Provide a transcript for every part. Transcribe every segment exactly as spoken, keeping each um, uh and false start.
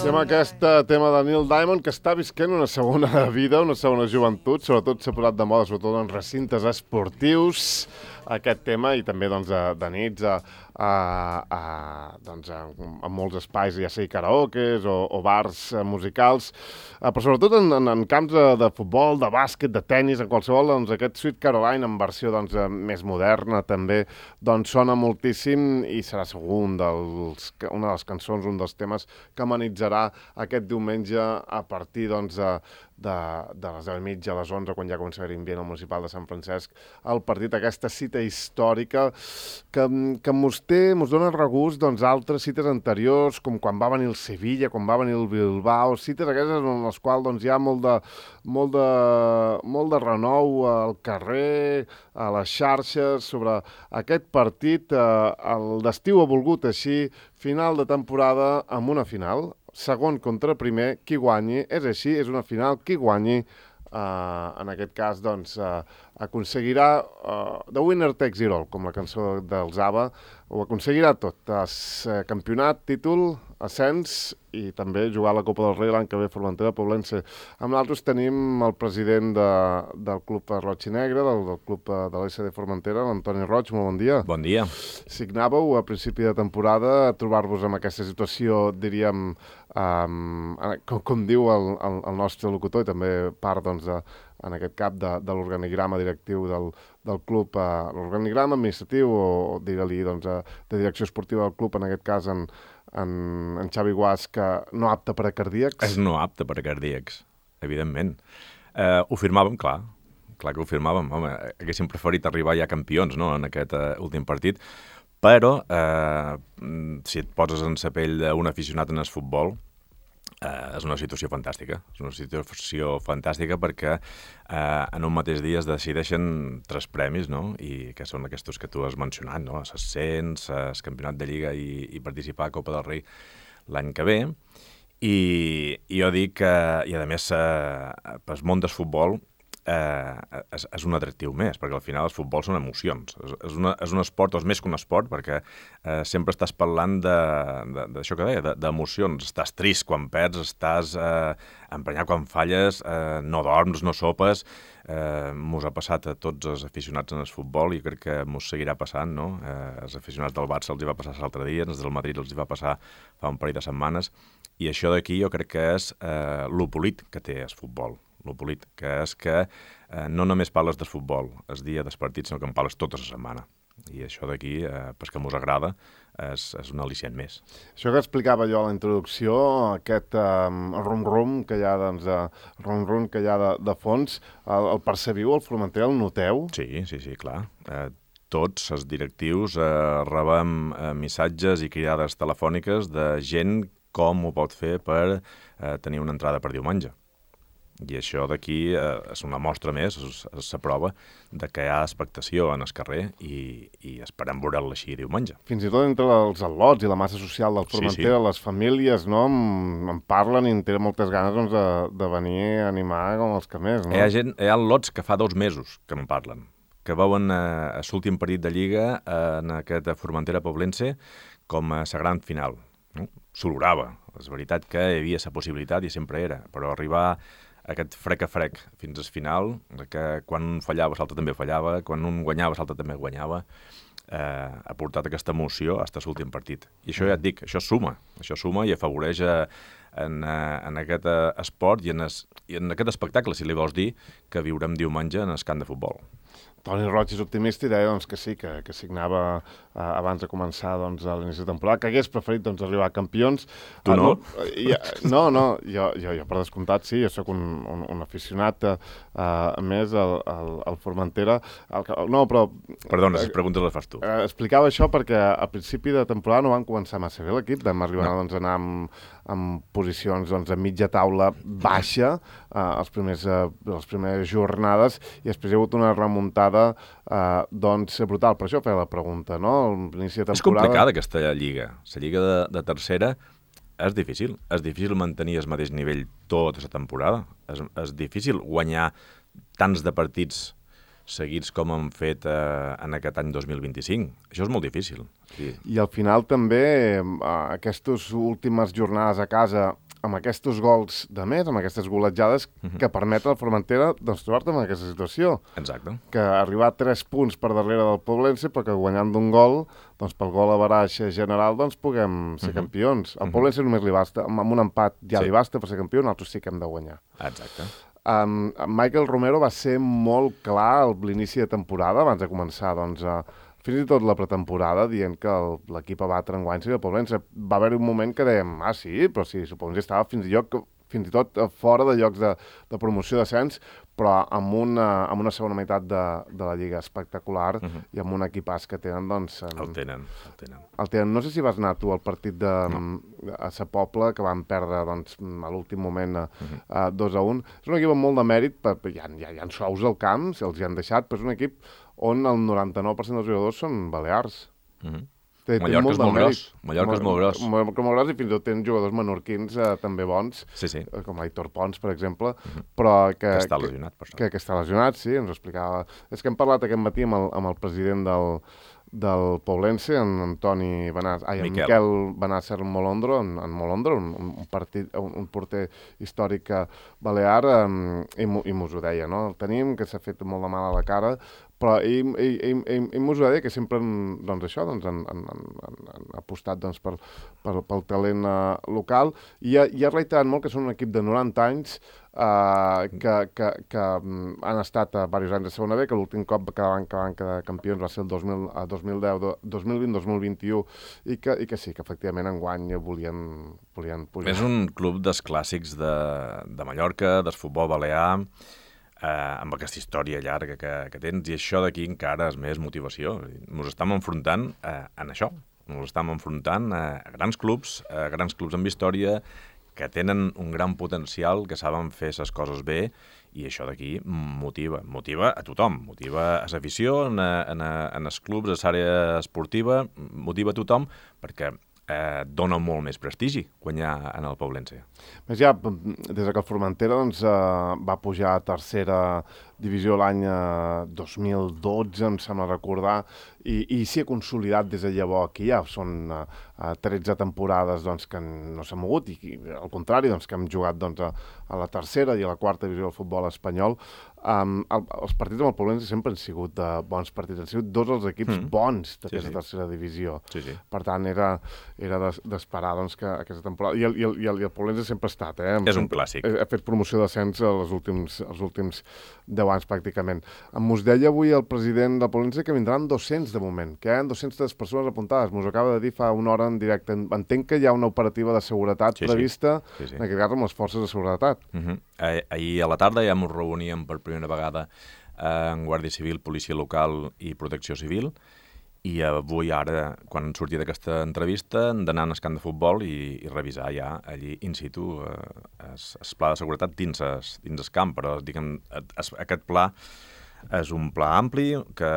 Tema aquest tema de Neil Diamond, que està visquent una segona vida, una segona joventut, sobretot s'ha posat de moda, sobretot en recintes esportius, aquest tema, i també doncs, de nits a, a, a, doncs, a, a molts espais, ja sigui karaokes o, o bars musicals, però sobretot en, en, en camps de, de futbol, de bàsquet, de tennis, en qualsevol, doncs, aquest Sweet Caroline en versió doncs, més moderna també doncs, sona moltíssim i serà segur un dels, una de les cançons, un dels temes que amenitzarà aquest diumenge a partir doncs, de, de les deu i mitja a les onze, quan ja comença a haver ambient al Municipal de Sant Francesc, el partit, aquesta cita històrica que, que mos té, mos dona regust doncs, altres cites anteriors, com quan va venir el Sevilla, quan va venir el Bilbao, cites aquestes en les quals doncs, hi ha molt de, molt, de, molt de renou al carrer, a les xarxes, sobre aquest partit. Eh, el d'estiu ha volgut així, final de temporada amb una final, segon contra primer, qui guanyi, és així, és una final, qui guanyi, uh, en aquest cas, doncs, uh, aconseguirà uh, The Winner Takes It All, com la cançó dels ABBA, ho aconseguirà tot, uh, campionat, títol, ascens i també jugar a la Copa del Rei l'any que ve, Formentera Poblense. Amb nosaltres tenim el president de, del Club Roig i Negre, del, del Club de l'S D Formentera, l'Antoni Roig, molt bon dia. Bon dia. Signàveu a principi de temporada trobar-vos en aquesta situació, diríem, um, com, com diu el, el, el nostre locutor, i també part, doncs, de, en aquest cap de, de l'organigrama directiu del, del club, uh, l'organigrama administratiu o, digue-li, doncs, uh, de direcció esportiva del club, en aquest cas, en, en, en Xavi Guas, que no apte per a cardíacs. És no apte per a cardíacs, evidentment. Eh, ho firmàvem, clar, clar que ho firmàvem. Home, haguéssim preferit arribar ja campions, no?, en aquest uh, últim partit, però eh, si et poses en la pell d'un aficionat en el futbol, eh, és una situació fantàstica. És una situació fantàstica perquè eh, en un mateix dia es decideixen tres premis, no?, i que són aquests que tu has mencionat, no?, l'ascens, el campionat de Lliga i, i participar a Copa del Rei l'any que ve. I, i jo dic que, i a més, eh, pel món del futbol, Eh, és, és un atractiu més, perquè al final els futbols són emocions. És, és, una, és un esport, o és més que un esport, perquè eh, sempre estàs parlant d'això que deia, d'emocions. Estàs trist quan perds, estàs eh, emprenyat quan falles, eh, no dorms, no sopes. Eh, mos ha passat a tots els aficionats en el futbol i crec que mos seguirà passant, no? Eh, els aficionats del Barça els hi va passar l'altre dia, els del Madrid els hi va passar fa un parell de setmanes, i això d'aquí jo crec que és eh, lo polit que té el futbol. Lo polit, que és que eh, no només parles del futbol el dia dels partits, sinó que en parles tota la setmana. I això d'aquí, eh, pues que mos agrada, és, és un al·licient més. Això que explicava jo a la introducció, aquest eh, rum-rum que hi ha, doncs, eh, rum-rum que hi ha de, de fons, el, el percebiu, el Formentera, el noteu? Sí, sí, sí, clar. Eh, tots els directius eh, rebem eh, missatges i cridades telefòniques de gent com ho pot fer per eh, tenir una entrada per diumenge. I això d'aquí eh, és una mostra més, és, és la prova de que hi ha expectació en el carrer i, i esperem veure-la així diumenge. Fins i tot entre els al·lots i la massa social del Formentera, sí, sí. Les famílies, no, em, em parlen i en tenen moltes ganes, doncs, de, de venir a animar com els que més, no? Hi ha, gent, hi ha al·lots que fa dos mesos que em parlen, que veuen eh, l'últim partit de Lliga eh, en aquest Formentera Poblense com a la gran final. No? S'olorava. És veritat que hi havia la possibilitat i sempre era, però arribar aquest frec a frec fins al final, que quan un fallava, l'altre també fallava, quan un guanyava, l'altre també guanyava, eh, ha portat aquesta emoció fins a l'últim partit. I això ja et dic, això suma, això suma i afavoreix a, en, a, en aquest esport i en, es, i en aquest espectacle, si li vols dir, que viurem diumenge en el camp de futbol. Toni Roig és optimista i deia doncs, que sí, que, que signava eh, abans de començar doncs, a l'inici de temporada, que hagués preferit doncs, arribar a campions. Tu no? Ah, no, ja, no, no jo, jo, jo per descomptat sí, jo sóc un, un, un aficionat eh, més al, al, al Formentera. El, no, però... Perdona, les preguntes les fas tu. Eh, explicava això perquè a principi de temporada no van començar massa bé l'equip, vam arribar no. doncs, a anar amb, amb posicions doncs, a mitja taula baixa eh, els primers, eh, les primeres jornades i després hi ha hagut una remuntada Uh, doncs brutal, per això feia la pregunta, no? L'inici de temporada... És complicada aquesta lliga. La lliga de, de tercera és difícil. És difícil mantenir el mateix nivell tota la temporada. És, és difícil guanyar tants de partits seguits com han fet eh, en aquest any dos mil vint-i-cinc. Això és molt difícil. Sí. I al final també, eh, aquestes últimes jornades a casa amb aquests gols de més, amb aquestes goletjades, uh-huh. que permeten al Formentera doncs, trobar-te en aquesta situació. Exacte. Que arribar a tres punts per darrere del Poblense, però que guanyant d'un gol, doncs pel gol a baraix general, doncs puguem ser uh-huh. campions. Al Poblense uh-huh. només li basta, amb un empat ja sí. li basta per ser campió, nosaltres sí que hem de guanyar. Exacte. Um, Michael Romero va ser molt clar a l'inici de temporada, abans de començar, doncs, a, fins i tot la pretemporada, dient que el, l'equip a batre enguany seria el Poblense. Va haver un moment que dèiem, ah, sí, però sí, suposo que estava fins i lloc, fins i tot fora de llocs de, de promoció d'ascens, però amb una, amb una segona meitat de, de la Lliga espectacular uh-huh. i amb un equipàs que tenen, doncs... En, el tenen, el tenen. El tenen. No sé si vas anar tu al partit de, no. a Sa Pobla, que van perdre doncs, a l'últim moment a, uh-huh. a dos a un. És un equip amb molt de mèrit, per, hi, ha, hi, ha, hi ha sous al camp, si els hi han deixat, però és un equip on el noranta-nou per cent dels jugadors són balears. Uh-huh. Té, Mallorca, té és molt gros. Mallorca és molt gros. Mallorca és molt gros i fins i tot tenen jugadors menorquins eh, també bons, sí, sí. com Aitor Pons, per exemple, uh-huh. però que... Que està lesionat, per això. Que, que està lesionat, sí, ens ho explicava. És que hem parlat aquest matí amb el, amb el president del, del Poblense, en Antoni Benàsser, ai, en Miquel, Miquel Benàsser Molondro, en, en Molondro, un, un, partit, un, un porter històric balear, um, i, i mos ho deia, no? El tenim, que s'ha fet molt de mal a la cara, però ell, ell, ell, ell, ell m'ho ha dit que sempre doncs, això, doncs, han, han, han, han apostat doncs, per, per, pel talent uh, local i ha, i ha reiterat molt que són un equip de noranta anys uh, que, que, que um, han estat a diversos anys de segona B, que l'últim cop que van, que van quedar campions va ser el dos mil, uh, dos mil deu, dos mil vint, dos mil vint-i-u i que, i que sí, que efectivament enguany volien, volien pujar. És un club dels clàssics de, de Mallorca, del futbol balear, Eh, amb aquesta història llarga que, que tens, i això d'aquí encara és més motivació. Ens estem enfrontant eh, en això. Ens estem enfrontant a grans clubs, a grans clubs amb història, que tenen un gran potencial, que saben fer les coses bé, i això d'aquí motiva. Motiva a tothom. Motiva a l'afició, en, en, en els clubs, a l'àrea esportiva, motiva a tothom, perquè eh, dona molt més prestigi guanyar en el Poblense. Més ja, des que el Formentera doncs, eh, va pujar a tercera divisió l'any eh, dos mil dotze, em sembla recordar, i, i s'hi ha consolidat des de llavors. Aquí ja són eh, tretze temporades doncs, que no s'ha mogut, i, i al contrari, doncs, que hem jugat doncs, a, a la tercera i a la quarta divisió del futbol espanyol. Um, el, els partits amb el Poblense sempre han sigut uh, bons partits, han sigut dos els equips mm. bons d'aquesta sí, sí. tercera divisió. Sí, sí. Per tant, era, era d'esperar doncs, que aquesta temporada... I el, i el, i el, i el Poblense sempre ha estat, eh? És un clàssic. Ha, ha fet promoció d'ascens els últims, els últims deu anys, pràcticament. Mos deia avui el president del Poblense que vindran dos-cents de moment, que hi ha dos-centes persones apuntades. Mos acaba de dir fa una hora en directe. Entenc que hi ha una operativa de seguretat sí, prevista, sí. Sí, sí. en aquest cas amb les forces de seguretat. Uh-huh. Ah, ahir a la tarda ja ens reuníem per primera vegada en Guàrdia Civil, Policia Local i Protecció Civil, i avui ara, quan surti d'aquesta entrevista, hem d'anar al camp de futbol i, i revisar ja allí in situ eh, es, es pla de seguretat dins el, dins el camp, però diguem, es, aquest pla és un pla ampli que,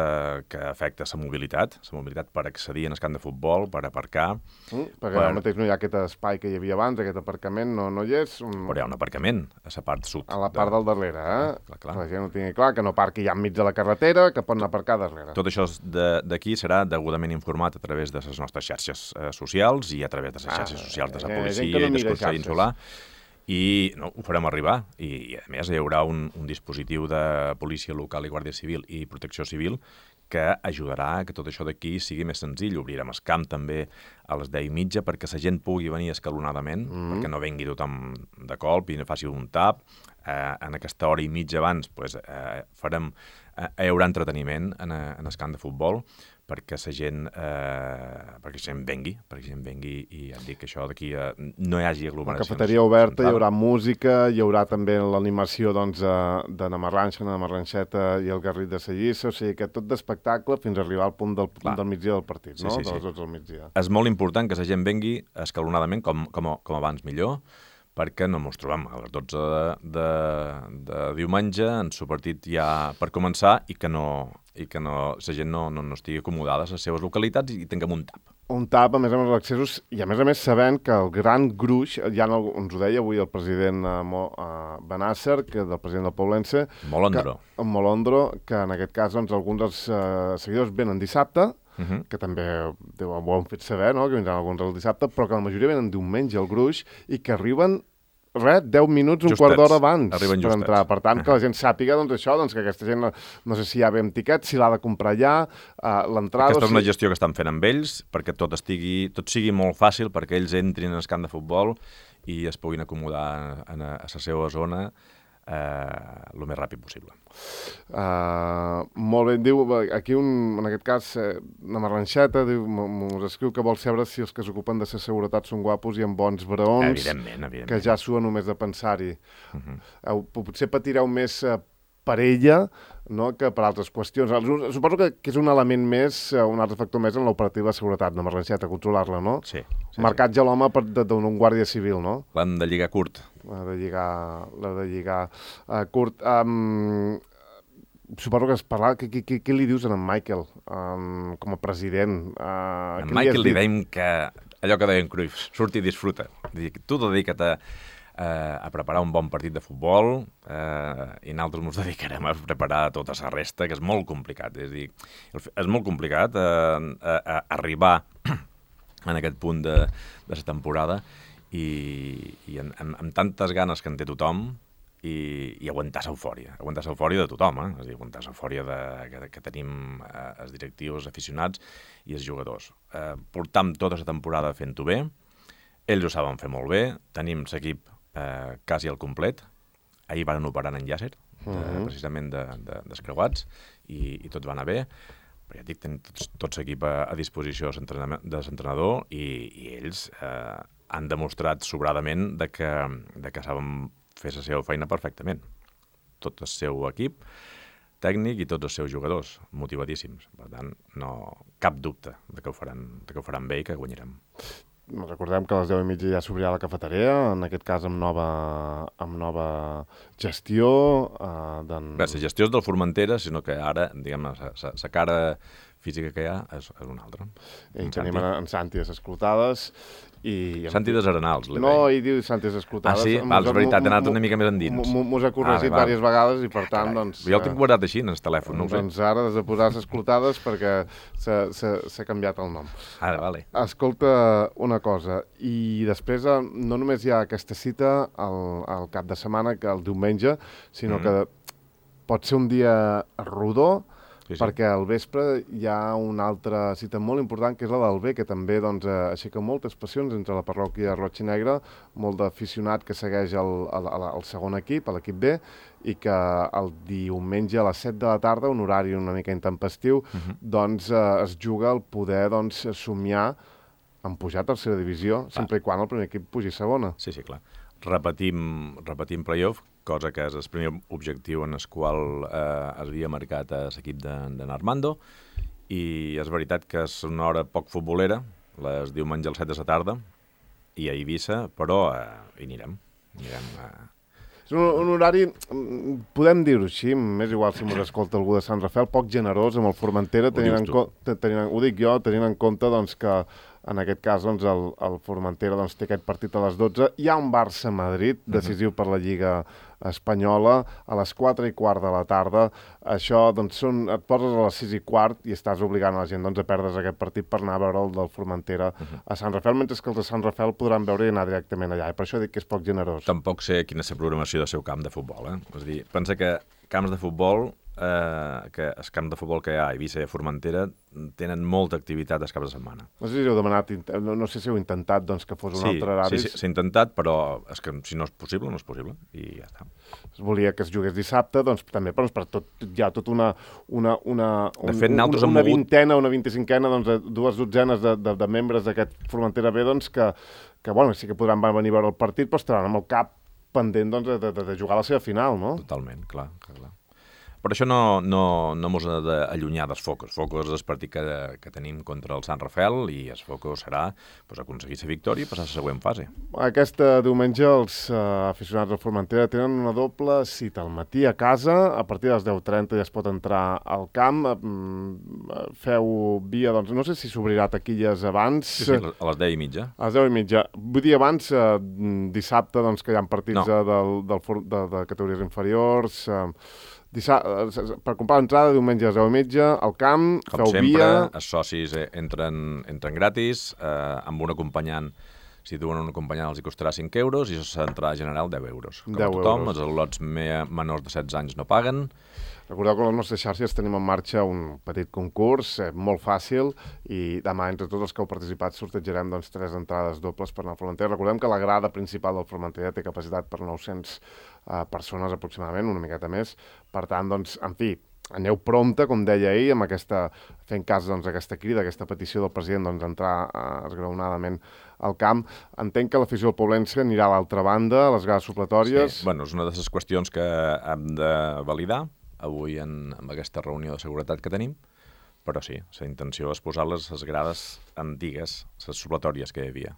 que afecta la mobilitat, la mobilitat per accedir en el camp de futbol, per aparcar. Mm, perquè per... ara mateix no hi ha aquest espai que hi havia abans, aquest aparcament no, no hi és. Un... Però hi ha un aparcament a la part sud. A la part de... del darrere, eh? Ah, clar, clar. Que la gent no tingui clar, que no parqui ja enmig de la carretera, que pot anar a aparcar darrere. Tot això d'aquí serà degudament informat a través de les nostres xarxes eh, socials i a través de les xarxes ah, socials de la policia no i del Consell Insular. I no, ho farem arribar, I, i a més hi haurà un, un dispositiu de policia local i guàrdia civil i protecció civil que ajudarà a que tot això d'aquí sigui més senzill. Obrirem el camp també a les deu i mitja perquè la gent pugui venir escalonadament, mm. perquè no vengui tothom de colp i no faci un tap. Eh, en aquesta hora i mitja abans pues, eh, farem, eh, hi haurà entreteniment en, en el camp de futbol perquè la gent, eh, perquè la gent vengui, perquè la gent vengui i ja et dic que això d'aquí eh, no hi hagi aglomeracions. La cafeteria oberta, hi haurà música, hi haurà també l'animació doncs, de Namarranxa, Namarranxeta i el Garrit de Sellissa, o sigui que tot d'espectacle fins a arribar al punt del, punt del migdia del partit, sí, no? Sí, sí. De les dotze del migdia. És molt important que la gent vengui escalonadament, com, com, com abans millor, perquè no ens trobem a les dotze de, de, de diumenge en el partit ja per començar i que no, i que no, la gent no, no, no estigui acomodada a les seves localitats i tinguem un tap. Un tap, a més a més, als accessos, i a més a més sabent que el gran gruix, ja no, ens ho deia avui el president uh, Mo, uh, Benàsser, que del president del Poblense... Molondro. Que, Molondro, que en aquest cas doncs, alguns dels uh, seguidors venen dissabte, Uh-huh. que també ho han fet saber, no? Que vindran alguns el dissabte, però que la majoria venen diumenge al gruix i que arriben res, deu minuts, un Justets. quart d'hora abans Arriben per justets. entrar. Per tant, que la gent sàpiga doncs, això, doncs, que aquesta gent, no sé si ja ve amb tiquet, si l'ha de comprar ja, uh, l'entrada... Aquesta és una si... gestió que estan fent amb ells perquè tot, estigui, tot sigui molt fàcil perquè ells entrin en el camp de futbol i es puguin acomodar en a, a la seva zona eh, el més ràpid possible. Uh, molt bé, diu, aquí un, en aquest cas, eh, una marranxeta, diu, mos escriu que vol saber si els que s'ocupen de la seguretat són guapos i amb bons braons, Evidentment, evidentment. que ja sua només de pensar-hi. Uh -huh. uh, potser patireu més uh, per ella, no?, que per altres qüestions. Suposo que, que és un element més, uh, un altre factor més en l'operativa de seguretat, una marranxeta, controlar-la, no? Sí. sí Marcatge sí. a l'home d'un guàrdia civil, no? L'han de lligar curt. L'ha de lligar, l'ha de lligar uh, curt. Um, suposo que es parla... Què, què, què li dius a en Michael um, com a president? Uh, a en Michael li dèiem que allò que deien Cruyff, surt i disfruta. Tu dedica't a, a preparar un bon partit de futbol eh, i nosaltres ens dedicarem a preparar tota la resta, que és molt complicat. És, dir, és molt complicat eh, a, a arribar en aquest punt de, de la temporada i, i amb, amb, amb tantes ganes que en té tothom i, i aguantar l'eufòria, aguantar l'eufòria de tothom, eh? És a dir, aguantar l'eufòria que, que tenim eh, els directius, els aficionats i els jugadors. Eh, portam tota la temporada fent-ho bé, ells ho saben fer molt bé, tenim l'equip eh, quasi al complet, ahir van operar en Yasser, uh -huh. de, precisament de, de, descreuats, i, i tot va anar bé, però ja et dic, tenim tot, tot l'equip a, a disposició de l'entrenador i, i ells eh, han demostrat sobradament de que, de que saben fer la seva feina perfectament. Tot el seu equip tècnic i tots els seus jugadors, motivadíssims. Per tant, no, cap dubte de que ho faran, de que ho faran bé i que guanyarem. Recordem que a les deu i mitja ja s'obrirà la cafeteria, en aquest cas amb nova, amb nova gestió. Eh, Bé, la gestió és del Formentera, sinó que ara, diguem, la cara física que hi ha és, és una altra. I en tenim Santi. en Santi a les clotades. I... Santi de Arenals, li No, ell diu Santi a les clotades. Ah, sí? Val, és veritat, he anat una mica més endins. Mos ha corregit ah, diverses vegades i, per tant, doncs... Jo el tinc guardat així, en el telèfon, no ho sé. Doncs ara has de posar les clotades perquè s'ha canviat el nom. Ara, vale. Escolta una cosa, i després no només hi ha aquesta cita al, al cap de setmana, que el diumenge, sinó mm. que pot ser un dia rodó, sí, sí. perquè al vespre hi ha una altra cita molt important, que és la del B, que també doncs, aixeca moltes passions entre la parròquia Roig i Negre, molt d'aficionat que segueix el, el, el segon equip, l'equip B, i que el diumenge a les set de la tarda, un horari una mica intempestiu, uh-huh. doncs eh, es juga el poder doncs, somiar en pujar a tercera divisió, ah. sempre i quan el primer equip pugi a segona. Sí, sí, clar. Repetim, repetim playoff, cosa que és el primer objectiu en el qual eh, es havia marcat a l'equip de, de Armando, i és veritat que és una hora poc futbolera, les diumenge a les set de la tarda, i a Eivissa, però eh, hi anirem. anirem eh... És un, un horari, podem dir-ho així, m'és igual si m'ho escolta algú de Sant Rafael, poc generós amb el Formentera, tenint en compte, tenint, ho dic jo, tenint en compte doncs, que en aquest cas doncs, el, el Formentera doncs, té aquest partit a les dotze. Hi ha un Barça-Madrid, decisiu uh-huh. per la Lliga Espanyola, a les quatre i quart de la tarda. Això, doncs, són, et poses a les sis i quart i estàs obligant a la gent doncs, a perdre's aquest partit per anar a veure el del Formentera uh-huh. a Sant Rafael, mentre que els de Sant Rafael podran veure i anar directament allà. I per això dic que és poc generós. Tampoc sé quina és la programació del seu camp de futbol. Eh? És a dir, pensa que camps de futbol Eh, que els camps de futbol que hi ha a Eivissa i a Formentera tenen molta activitat els caps de setmana. No sé si heu demanat, no, no sé si heu intentat doncs, que fos un sí, altre horari. Sí, sí, s'ha intentat, però és que si no és possible, no és possible, i ja està. Es volia que es jugués dissabte, doncs també però per tot, hi ha tota una, una, una, un, de fet, un, una mogut... vintena, una vint-i-cinquena, doncs, dues dotzenes de, de, de membres d'aquest Formentera B, doncs, que, que bueno, sí que podran venir a veure el partit, però estaran amb el cap pendent doncs, de, de, de jugar a la seva final, no? Totalment, clar, clar, clar. Per això no, no, no mos ha d'allunyar dels focus. Focus és el partit que, que tenim contra el Sant Rafael i el focus serà pues, aconseguir la victòria i passar a la següent fase. Aquesta diumenge els uh, aficionats del Formentera tenen una doble cita al matí a casa, a partir de les deu trenta ja es pot entrar al camp. Uh, feu via, doncs, no sé si s'obrirà taquilles abans. Sí, sí, a les deu i mitja. A les deu i mitja. Vull dir abans, uh, dissabte, doncs, que hi ha partits no. del, del, de, de categories inferiors... Uh, Dissa... per comprar l'entrada diumenge a les deu i mitja al camp, com feu sempre, via... els socis entren, entren gratis, eh, amb un acompanyant Si duen un acompanyant els hi costarà cinc euros i l'entrada general deu euros. Com a deu tothom, euros. els al·lots me- menors de setze anys no paguen. Recordeu que a les nostres xarxes tenim en marxa un petit concurs, eh, molt fàcil, i demà entre tots els que heu participat sortejarem doncs, tres entrades dobles per anar al Formentera. Recordem que la grada principal del Formentera té capacitat per nou-centes eh, persones aproximadament, una miqueta més. Per tant, doncs, en fi, aneu prompte, com deia ahir, amb aquesta, fent cas doncs, aquesta crida, aquesta petició del president doncs, entrar eh, esgraonadament al camp. Entenc que l'afició del Poblense anirà a l'altra banda, a les grades supletòries. Sí. Bueno, és una de les qüestions que hem de validar avui en, en aquesta reunió de seguretat que tenim, però sí, la intenció és posar-les les grades antigues, les supletòries que hi havia.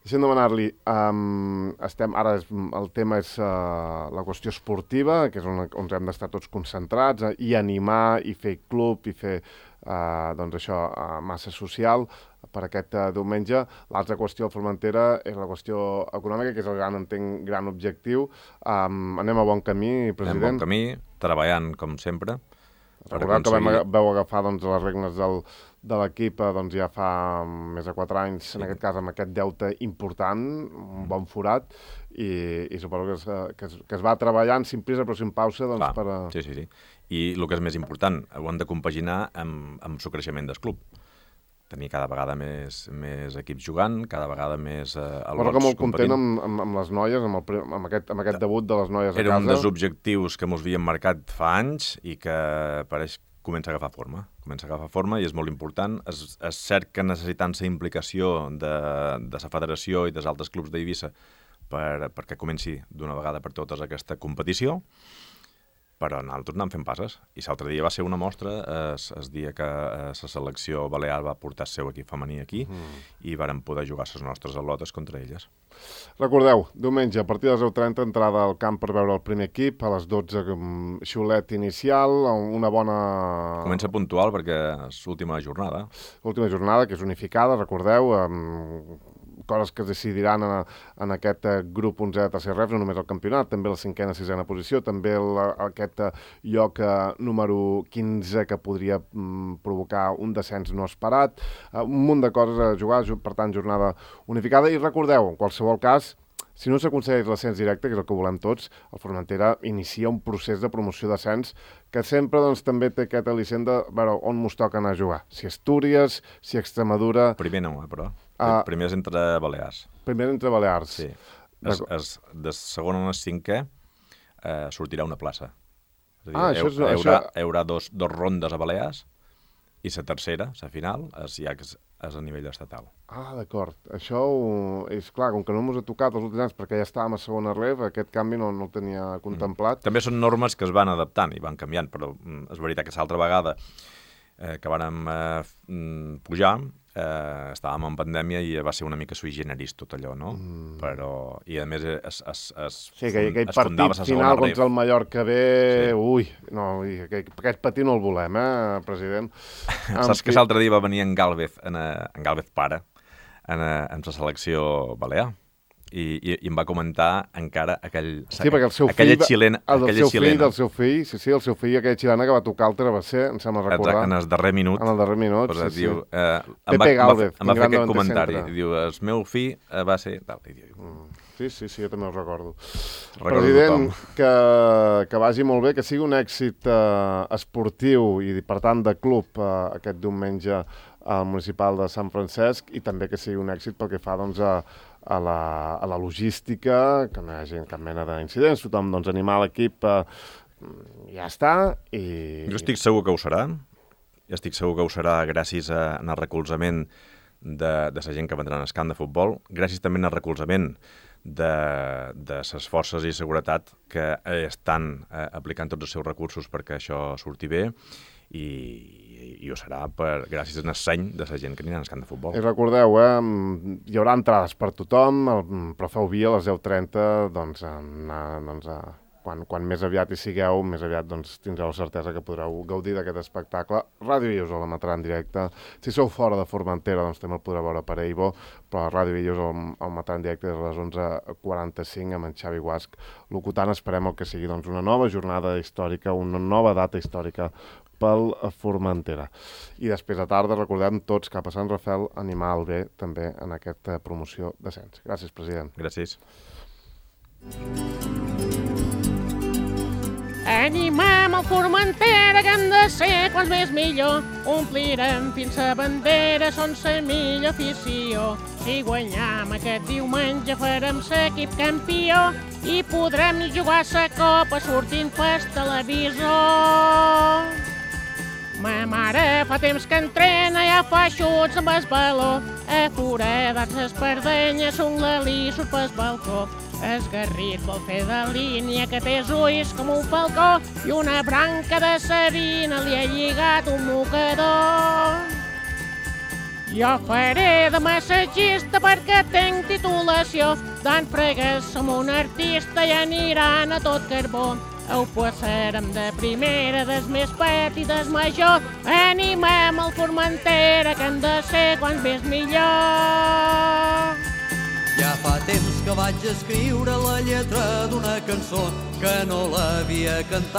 Deixem demanar-li, um, estem, ara és, el tema és uh, la qüestió esportiva, que és on, on hem d'estar tots concentrats, uh, i animar, i fer club, i fer uh, doncs això, uh, massa social per aquest uh, diumenge. L'altra qüestió a Formentera és la qüestió econòmica, que és el gran, entenc, gran objectiu. Um, anem a bon camí, president. Anem a bon camí, treballant com sempre. Recordeu que vam, vau agafar doncs, les regnes del, de l'equip doncs, ja fa més de quatre anys, sí. En aquest cas amb aquest deute important, un bon forat, i, i suposo que es, que, es, que es va treballant sin prisa però sin pausa doncs, Clar, per a... Sí, sí, sí. I el que és més important, ho hem de compaginar amb, amb el creixement del club. Tenir cada vegada més, més equips jugant, cada vegada més eh, al·lots que molt content amb, amb, amb les noies, amb, el, amb, aquest, amb aquest debut de les noies a casa. Era un dels objectius que mos havíem marcat fa anys i que pareix comença a agafar forma. Comença a agafar forma i és molt important. És, és cert que necessitant la implicació de, de la federació i dels altres clubs d'Eivissa per, perquè comenci d'una vegada per totes aquesta competició, però nosaltres anem fent passes. I l'altre dia va ser una mostra, es, el dia que la selecció balear va portar el seu equip femení aquí mm. i varen poder jugar les nostres al·lotes contra elles. Recordeu, diumenge, a partir de les deu trenta, entrada al camp per veure el primer equip, a les dotze, xiulet inicial, una bona... Comença puntual perquè és l'última jornada. L'última jornada, que és unificada, recordeu, amb coses que es decidiran en, en aquest grup onzè de tercer ref, no només el campionat, també la cinquena, sisena posició, també el, aquest lloc número quinze que podria mm, provocar un descens no esperat, un munt de coses a jugar, per tant, jornada unificada. I recordeu, en qualsevol cas, si no s'aconsegueix l'ascens directe, que és el que volem tots, el Formentera inicia un procés de promoció d'ascens que sempre doncs, també té aquest al·licient de veure on mos toca anar a jugar. Si Astúries, si Extremadura... Primer no, eh, però. Uh, primer és entre Balears. Primer entre Balears. Sí. Es, es, de segon a cinquè eh, sortirà una plaça. És a dir, ah, això és... Hi haurà, això... hi haurà dos, dos rondes a Balears i la tercera, la final, és, ja és, és a nivell estatal. Ah, d'acord. Això ho... és clar, com que no ens ha tocat els últims anys perquè ja estàvem a segona ref, aquest canvi no, no el tenia contemplat. Mm. També són normes que es van adaptant i van canviant, però mm, és veritat que l'altra vegada eh, que vàrem eh, pujar, eh, estàvem en pandèmia i va ser una mica sui generis tot allò, no? Mm. Però, i a més es, es, es, sí, que aquell partit final contra el Mallorca B, sí. ui, no, aquest, aquest patir no el volem, eh, president? Saps que l'altre dia va venir en Gálvez, en, en Gálvez pare, en, en la selecció balear, i, i, i em va comentar encara aquell, sí, perquè el seu aquella fill, xilena, el del seu xilena. fill, del seu fill, sí, sí, el seu fill, aquella xilena que va tocar el travesser, em sembla recordar. En el darrer minut. En el darrer minut, pues, sí, diu, sí. Eh, Pepe em va, Gálvez, em va, em va fer aquest comentari. Centre. Diu, el meu fill eh, va ser... Tal, i diu, mm. Sí, sí, sí, jo també ho recordo. recordo President, que, que vagi molt bé, que sigui un èxit eh, esportiu i, per tant, de club eh, aquest diumenge al municipal de Sant Francesc, i també que sigui un èxit pel que fa doncs, a, a, la, a la logística, que no hi hagi cap mena d'incidents, tothom doncs, animar l'equip, eh, ja està. I... Jo estic segur que ho serà. Jo estic segur que ho serà gràcies a, al recolzament de, de la gent que vendrà en el camp de futbol, gràcies també al recolzament de, de les forces i seguretat que estan eh, aplicant tots els seus recursos perquè això surti bé, i, i ho serà per, gràcies al seny de la gent que anirà al camp de futbol. I recordeu, eh, hi haurà entrades per tothom, però feu via a les deu trenta, doncs, anar, doncs a... Quan, quan més aviat hi sigueu, més aviat doncs, tindreu la certesa que podreu gaudir d'aquest espectacle. Ràdio Villos el emetrà en directe. Si sou fora de Formentera, doncs també el podreu veure per Eibo, però Ràdio Villos el, el emetrà en directe des de les onze quaranta-cinc amb en Xavi Guasc locutant. Esperem el que sigui doncs, una nova jornada històrica, una nova data històrica pel Formentera. I després a tarda recordem tots cap a Sant Rafel, animar el bé també en aquesta promoció d'ascens. Gràcies, president. Gràcies. Animem el Formentera, que hem de ser quants més millor. Omplirem fins a bandera, són la millor afició. Si guanyam aquest diumenge farem l'equip campió i podrem jugar la copa sortint pel televisor. Ma mare fa temps que entrena, ja fa xuts amb el baló. A foradats espardenyes, un lalí surt pel balcó. El Garrit vol fer de línia, que té els ulls com un falcó i una branca de serina li ha lligat un mocador. Jo faré de massatgista perquè tenc titulació. D'en fregues som un artista i aniran a tot carbó. Ho passarem de primera, des més petit i des major. Animem el Formentera, que hem de ser quants més millor. Ja fa temps que vaig escriure la lletra d'una cançó que no l'havia cantat.